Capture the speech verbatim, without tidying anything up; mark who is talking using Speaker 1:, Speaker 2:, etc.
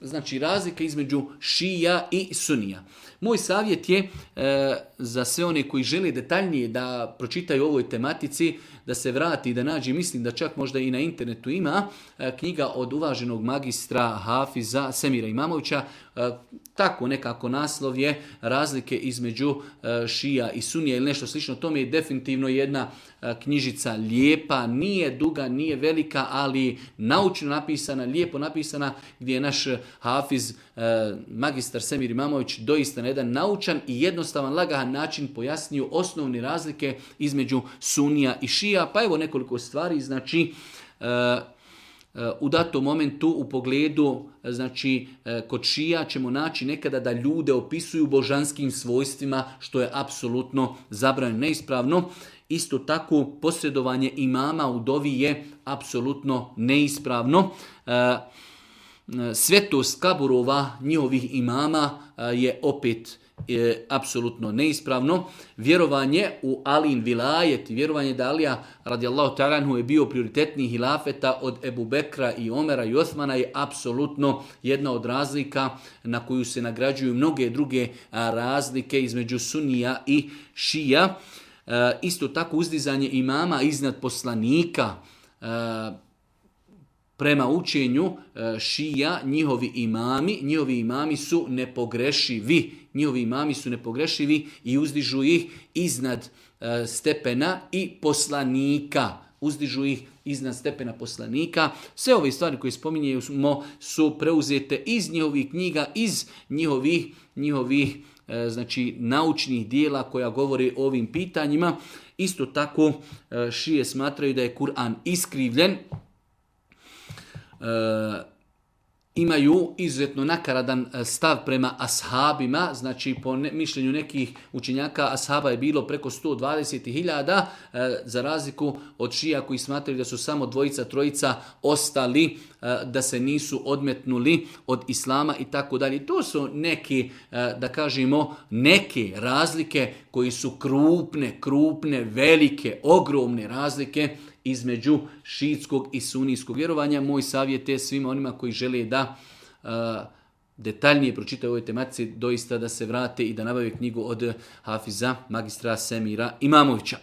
Speaker 1: znači razlika između šija i sunija. Moj savjet je e, za sve one koji žele detaljnije da pročitaju o ovoj tematici, da se vrati, da nađe, mislim da čak možda i na internetu ima, e, knjiga od uvaženog magistra Hafiza Semira Imamovića, e, tako nekako naslov je razlike između e, šija i sunija ili nešto slično. To mi je definitivno jedna e, knjižica lijepa, nije duga, nije velika, ali naučno napisana, lijepo napisana, gdje je naš Hafiz, e, magistar Semir Imamović doista na jedan naučan i jednostavan, lagahan način pojasnio osnovne razlike između sunija i šija. Pa evo nekoliko stvari, znači e, u datom momentu u pogledu, znači kod šija ćemo naći nekada da ljude opisuju božanskim svojstvima, što je apsolutno zabranjeno, neispravno. Isto tako posredovanje imama u dovi je apsolutno neispravno. Svetost kaburova njihovih imama je opet je apsolutno neispravno. Vjerovanje u Alin vilajet, vjerovanje da Alija radijallahu ta'ala anhu je bio prioritetniji hilafeta od Ebu Bekra i Omera i Osmana je apsolutno jedna od razlika na koju se nagrađuju mnoge druge razlike između sunija i šija. Isto tako uzdizanje imama iznad poslanika, prema učenju šija, njihovi imami, njihovi imami su nepogrešivi. Njihovi imami su nepogrešivi i uzdižu ih iznad stepena i poslanika. Uzdižu ih iznad stepena poslanika. Sve ove stvari koje spominjemo su preuzete iz njihovih knjiga, iz njihovih, njihovih znači, naučnih dijela koja govori o ovim pitanjima. Isto tako šije smatraju da je Kur'an iskrivljen. E, imaju izuzetno nakaradan stav prema ashabima, znači po ne, mišljenju nekih učenjaka ashaba je bilo preko sto dvadeset hiljada, e, za razliku od šija koji smatraju da su samo dvojica, trojica ostali, e, da se nisu odmetnuli od islama i tako dalje. To su neke, e, da kažemo, neke razlike koji su krupne, krupne, velike, ogromne razlike između šiitskog i sunijskog vjerovanja. Moj savjet je svima onima koji žele da uh, detaljnije pročitaju ovoj tematici, doista da se vrate i da nabave knjigu od Hafiza, magistra Semira Imamovića.